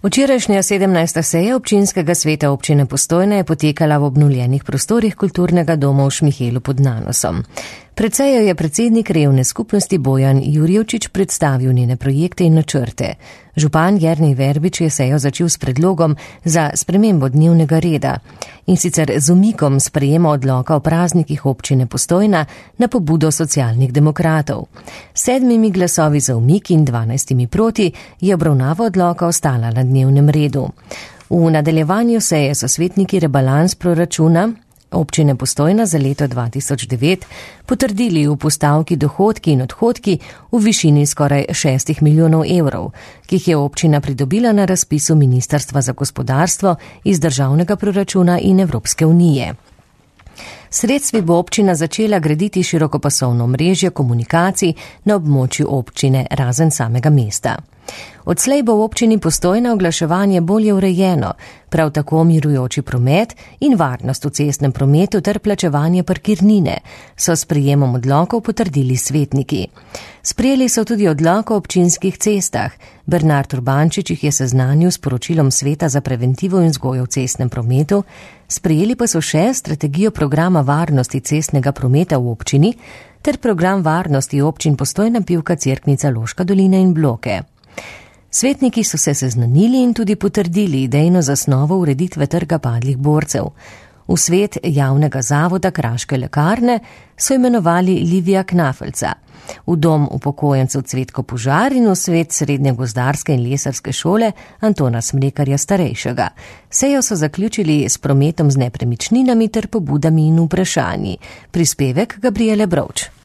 Včerajšnja 17. seja občinskega sveta občine Postojna je potekala v obnovljenih prostorih kulturnega doma v Šmihelu pod Nanosom. Pred sejo je predsednik revne skupnosti Bojan Jurjevčič predstavil njene projekte in načrte. Župan Jernej Verbič je sejo začel s predlogom za spremembo dnevnega reda in sicer z umikom sprejema odloka o praznikih občine Postojna na pobudo socialnih demokratov. 7 glasovi za umik in 12 proti je obravnava odloka ostala na dnevnem redu. V nadaljevanju seje so svetniki rebalans proračuna občine Postojna za leto 2009 potrdili v postavki dohodki in odhodki v višini skoraj 6 milijonov evrov, ki jih je občina pridobila na razpisu Ministrstva za gospodarstvo iz državnega proračuna in Evropske unije. Sredstvi bo občina začela graditi širokopasovno mrežje komunikacij na območju občine razen samega mesta. Odslej bo v občini Postojna oglaševanje bolje urejeno, prav tako mirujoči promet in varnost v cestnem prometu ter plačevanje parkirnine so s sprejemom odlokov potrdili svetniki. Sprejeli so tudi odlok o občinskih cestah. Bernard Urbančič jih je seznanil s poročilom Sveta za preventivo in vzgojo v cestnem prometu, sprejeli pa so še strategijo programa varnosti cestnega prometa v občini ter program varnosti občin Postojna, Pivka, Cerknica, Loška dolina in Bloke. Svetniki so se seznanili in tudi potrdili idejno zasnovo ureditve trga padlih borcev. V svet javnega zavoda Kraške lekarne so imenovali Livija Knafelca, v dom upokojencev Cvetko Požar in v svet srednje gozdarske in lesarske šole Antona Smrekarja starejšega. Sejo so zaključili s prometom z nepremičninami ter pobudami in vprašanji. Prispevek Gabriele Brovč.